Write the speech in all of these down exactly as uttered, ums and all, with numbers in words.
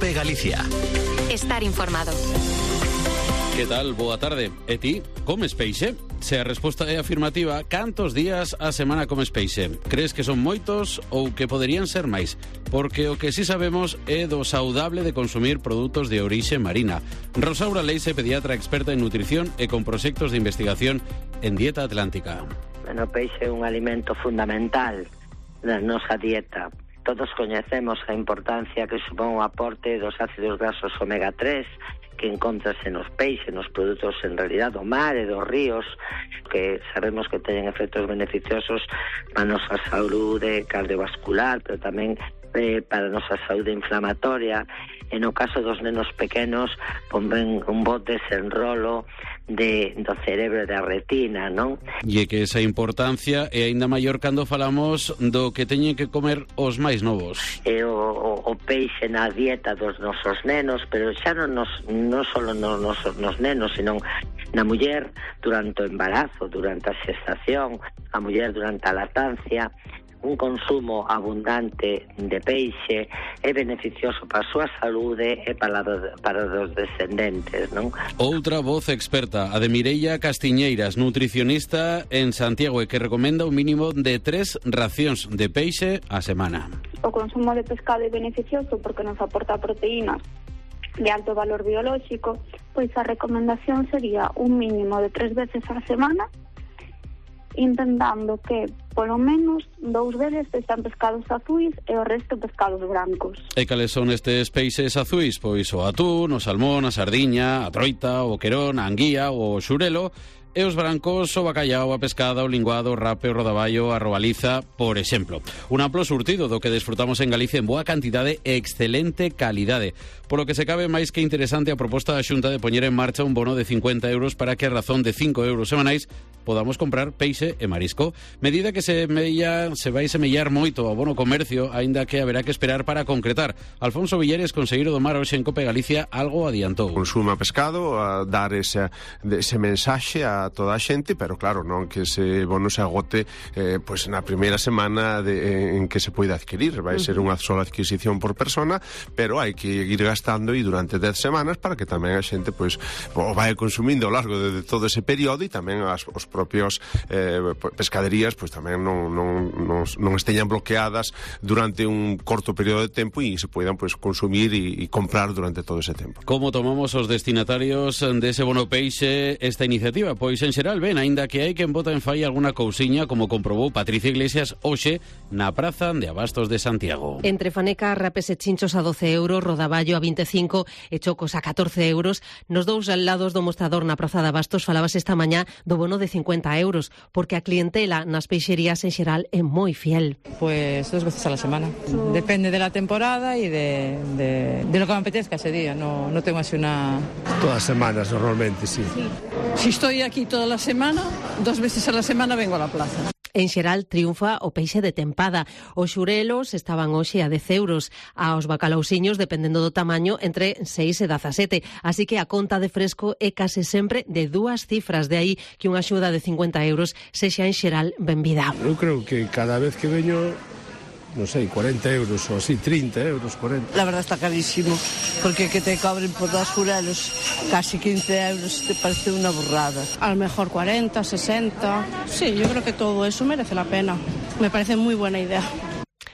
Cope Galicia. Estar informado. Que tal? Boa tarde. E ti, comes peixe? Se a resposta é afirmativa, cantos días a semana comes peixe? Crees que son moitos ou que poderían ser máis? Porque o que sí sabemos é do saudable de consumir produtos de orixe marina. Rosaura Leise, pediatra experta en nutrición e con proxectos de investigación en dieta atlántica. Bueno, o peixe é un alimento fundamental da nosa dieta. Todos coñecemos a importancia que supón o aporte dos ácidos grasos omega tres que encontrase nos peixes, nos produtos en realidad do mar e dos ríos, que sabemos que teñen efectos beneficiosos para a nosa saúde cardiovascular, pero tamén eh, para a nosa saúde inflamatoria. E no caso dos nenos pequenos, ponben un bo desenrolo de, do cerebro e da retina, non? E que esa importancia é aínda maior cando falamos do que teñen que comer os máis novos. E o, o, o peixe na dieta dos nosos nenos, pero xa non, nos, non só nos, nos, nos nenos, sino na muller durante o embarazo, durante a xestación, a muller durante a lactancia. Un consumo abundante de peixe é beneficioso para a súa saúde e para, para os descendentes, non? Outra voz experta, a de Mireia Castiñeiras, nutricionista en Santiago, e que recomenda un mínimo de tres racións de peixe a semana. O consumo de pescado é beneficioso porque nos aporta proteínas de alto valor biolóxico, pois a recomendación sería un mínimo de tres veces a semana, intentando que polo menos dous veces sexan pescados azuis e o resto pescados brancos. E cales son estes peixes azuis? Pois o atún, o salmón, a sardiña, a troita, o querón, a anguía, o xurelo. E os brancos, o bacallao, a pescada, o linguado, o rape, o rodaballo, a robaliza, por exemplo. Un amplo surtido do que desfrutamos en Galicia en boa cantidade e excelente calidade. Polo que se cabe máis que interesante a proposta da Xunta de poñer en marcha un bono de cincuenta euros para que a razón de cinco euros semanais podamos comprar peixe e marisco. Medida que se, mella, se vai semellar moito ao bono comercio, aínda que haberá que esperar para concretar. Alfonso Villares, conselleiro do Mar hoxe en Cope Galicia, algo adiantou. Consuma pescado, a dar ese, ese mensaxe a a toda a xente, pero claro, non que ese bono se agote eh, pois na primeira semana de, en que se poida adquirir. Vai ser unha sola adquisición por persona, pero hai que ir gastando e durante dez semanas para que tamén a xente pois o vai consumindo ao largo de, de todo ese período, e tamén as, os propios eh, pescaderías pois tamén non, non, non, non esteñan bloqueadas durante un corto período de tempo e se poidan pois consumir e, e comprar durante todo ese tempo. Como tomamos os destinatarios dese bono peixe esta iniciativa? Pois en xeral ben, aínda que hai quen bota en falla alguna cousiña, como comprobou Patricia Iglesias hoxe na praza de Abastos de Santiago. Entre fanecas, rapes e chinchos a doce euros, rodaballo a vinte e cinco e chocos a catorce euros. Nos dous lados do mostrador na praza de Abastos falabas esta mañá do bono de cincuenta euros, porque a clientela nas peixerías en xeral é moi fiel. Pues dos veces a la semana. Depende de la temporada y de, de, de lo que me apetezca ese día. No, no tengo así una... Todas las semanas normalmente, sí. sí. Si estoy aquí toda la semana, dos veces a la semana vengo a la plaza. En xeral triunfa o peixe de tempada. Os xurelos estaban hoxe a dez euros. Aos bacalausiños, dependendo do tamaño, entre seis e dezasete. Así que a conta de fresco é case sempre de dúas cifras. De aí que unha axuda de cincuenta euros sexa en xeral benvida. Eu creo que cada vez que veño, non sei, cuarenta euros ou así, trinta euros, cuarenta. La verdad está carísimo, porque que te cobren por dos xurelos casi quince euros te parece una burrada. A lo mejor cuarenta, sesenta. Sí, yo creo que todo eso merece la pena. Me parece muy buena idea.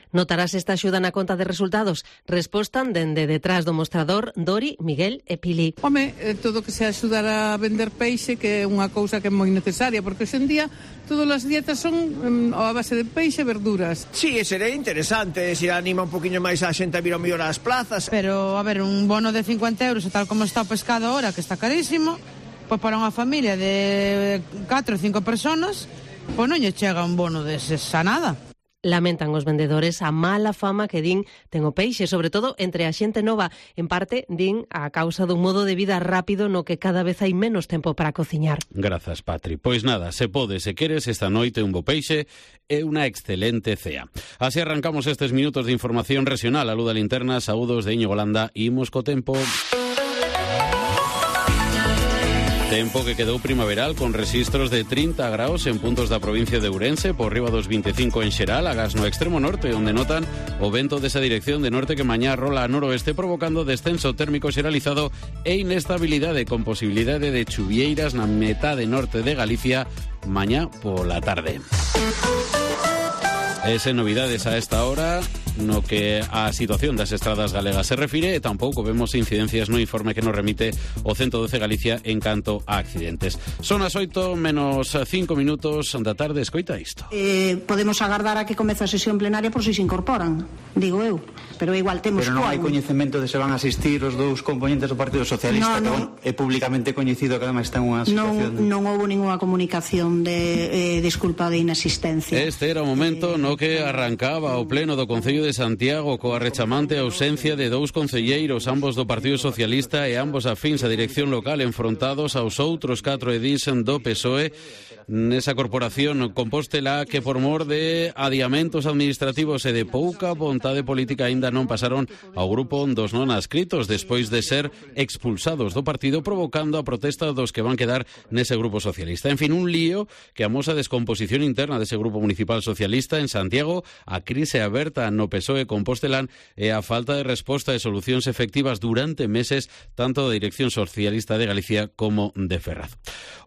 Notarás esta axuda na conta de resultados? Respostan dende detrás do mostrador Dori, Miguel e Pili. Home, todo que se axudar a vender peixe, que é unha cousa que é moi necesaria, porque hoxe en día todas as dietas son um, a base de peixe e verduras. Sí, sería interesante, se anima un poquinho máis a xente a vir ao mellor ás plazas. Pero, a ver, un bono de cincuenta euros, tal como está o pescado ahora, que está carísimo, pois para unha familia de catro ou cinco personas, pois non lle chega un bono deses a nada. Lamentan os vendedores a mala fama que din ten o peixe, sobre todo entre a xente nova. En parte, din a causa dun modo de vida rápido no que cada vez hai menos tempo para cociñar. Grazas, Patri. Pois nada, se pode, se queres, esta noite un bo peixe é unha excelente cea. Así arrancamos estes minutos de información regional. A luz da linterna, saúdos de Íñigo Landa, imos co tempo. Tempo que quedou primaveral con rexistros de trinta graus en puntos da provincia de Ourense, por riba dos vinte e cinco en Xeral, agás no extremo norte, onde notan o vento desa dirección de norte que mañá rola a noroeste, provocando descenso térmico xeralizado e inestabilidade, con posibilidade de chuvieiras na metade norte de Galicia mañá pola tarde. Ese novidades a esta hora no que a situación das estradas galegas se refire, e tampouco vemos incidencias no informe que nos remite o ciento doce Galicia en canto a accidentes. Son as oito menos cinco minutos da tarde, escoita isto. Eh, podemos agardar a que comece a sesión plenaria por si se incorporan, digo eu, pero igual temos... Pero non hai coñecemento de se van a asistir os dous componentes do Partido Socialista, no, no. que é públicamente coñecido que además está en unha situación... Non, non houve ninguna comunicación de eh, disculpa de inasistencia. Este era o momento eh, no que arrancaba o pleno do Concello de de Santiago coa rechamante ausencia de dous concelleiros, ambos do Partido Socialista e ambos afíns á dirección local, enfrontados aos outros catro edís do P S O E nesa corporación compóstela que por mor de adiamentos administrativos e de pouca vontade política aínda non pasaron ao grupo dos non adscritos despois de ser expulsados do partido, provocando a protesta dos que van quedar nese grupo socialista. En fin, un lío que amosa a descomposición interna dese grupo municipal socialista en Santiago, a crise aberta no P S O E compostelán e a falta de resposta e solucións efectivas durante meses tanto da Dirección Socialista de Galicia como de Ferraz.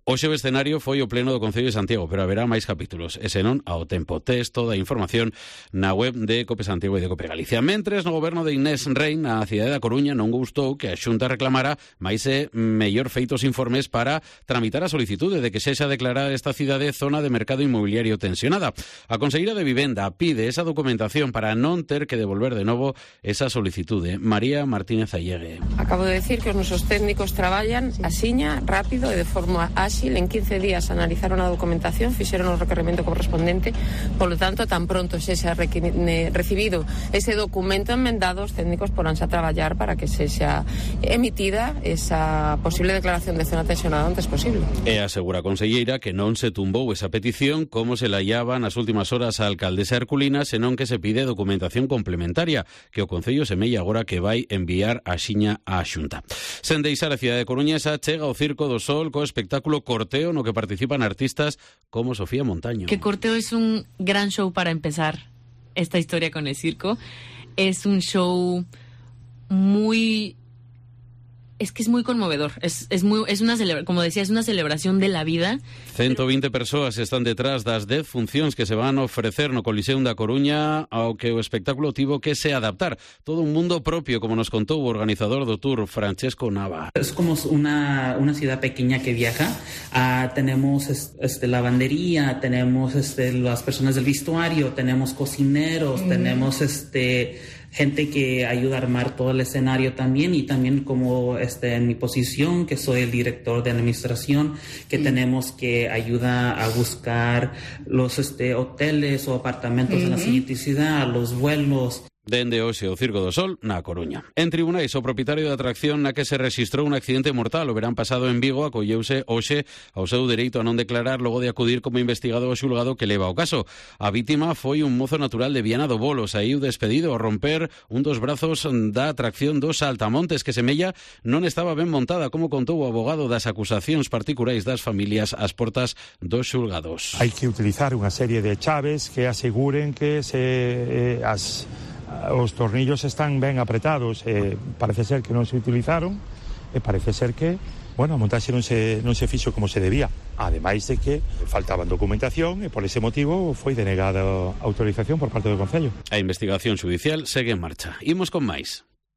Hoxe o escenario foi o pleno do Concello de Santiago, pero haberá máis capítulos, e senón ao tempo. Tes toda a información na web de Cope Santiago e de Cope Galicia. Mentres, no goberno de Inés Rein, na cidade da Coruña, non gustou que a Xunta reclamara máis e mellor feitos informes para tramitar a solicitude de que sexa declarada esta cidade zona de mercado inmobiliario tensionada. A Conselleira de Vivenda pide esa documentación para non ter que devolver de novo esa solicitude. María Martínez Allegue. Acabo de decir que os nosos técnicos traballan asiña, rápido e de forma áxil. En quince días analizaron a documentación, fixeron o requerimento correspondente, polo tanto, tan pronto se xa recibido ese documento enmendado, os técnicos poránse a traballar para que se xa emitida esa posible declaración de zona tensionada antes posible. E asegura a conselleira que non se tumbou esa petición como se la hallaba nas últimas horas a alcaldesa Herculina, senón que se pide documentación complementaria que o Concello semella agora que vai enviar a xiña á Xunta. Sen deixar a cidade de Coruñesa, chega o Circo do Sol co espectáculo Corteo no que participan artistas como Sofía Montaño. Que Corteo es un gran show para empezar esta historia con el circo. Es un show muy... Es que es muy conmovedor, es, es muy es una celebra, como decía, es una celebración de la vida. ciento veinte persoas están detrás das dez funcións que se van a ofrecer no Coliseum da Coruña, ao que o espectáculo tivo que se adaptar. Todo un mundo propio, como nos contou o organizador do tour, Francesco Nava. Es como una, una ciudad pequeña que viaja. Uh, tenemos este, lavandería, tenemos este, las personas del vestuario, tenemos cocineros, mm. tenemos este... gente que ayuda a armar todo el escenario también, y también como este, en mi posición, que soy el director de administración, que mm. tenemos que ayudar a buscar los este, hoteles o apartamentos mm-hmm. en la siguiente ciudad, los vuelos. Dende hoxe o Circo do Sol na Coruña. En tribunais, o propietario da atracción na que se rexistrou un accidente mortal o verán pasado en Vigo acolleuse hoxe ao seu dereito a non declarar logo de acudir como investigado ao xulgado que leva o caso. A vítima foi un mozo natural de Viana do Bolo, saíu despedido ao romper un dos brazos da atracción dos Saltamontes, que semella non estaba ben montada, como contou o abogado das acusacións particulares das familias ás portas dos xulgados. Hai que utilizar unha serie de chaves que aseguren que se eh, as os tornillos están ben apretados, e parece ser que non se utilizaron, e parece ser que, bueno, a montaxe non se, non se fixo como se debía, ademais de que faltaban documentación e por ese motivo foi denegada a autorización por parte do Concello. A investigación xudicial segue en marcha. Imos con máis.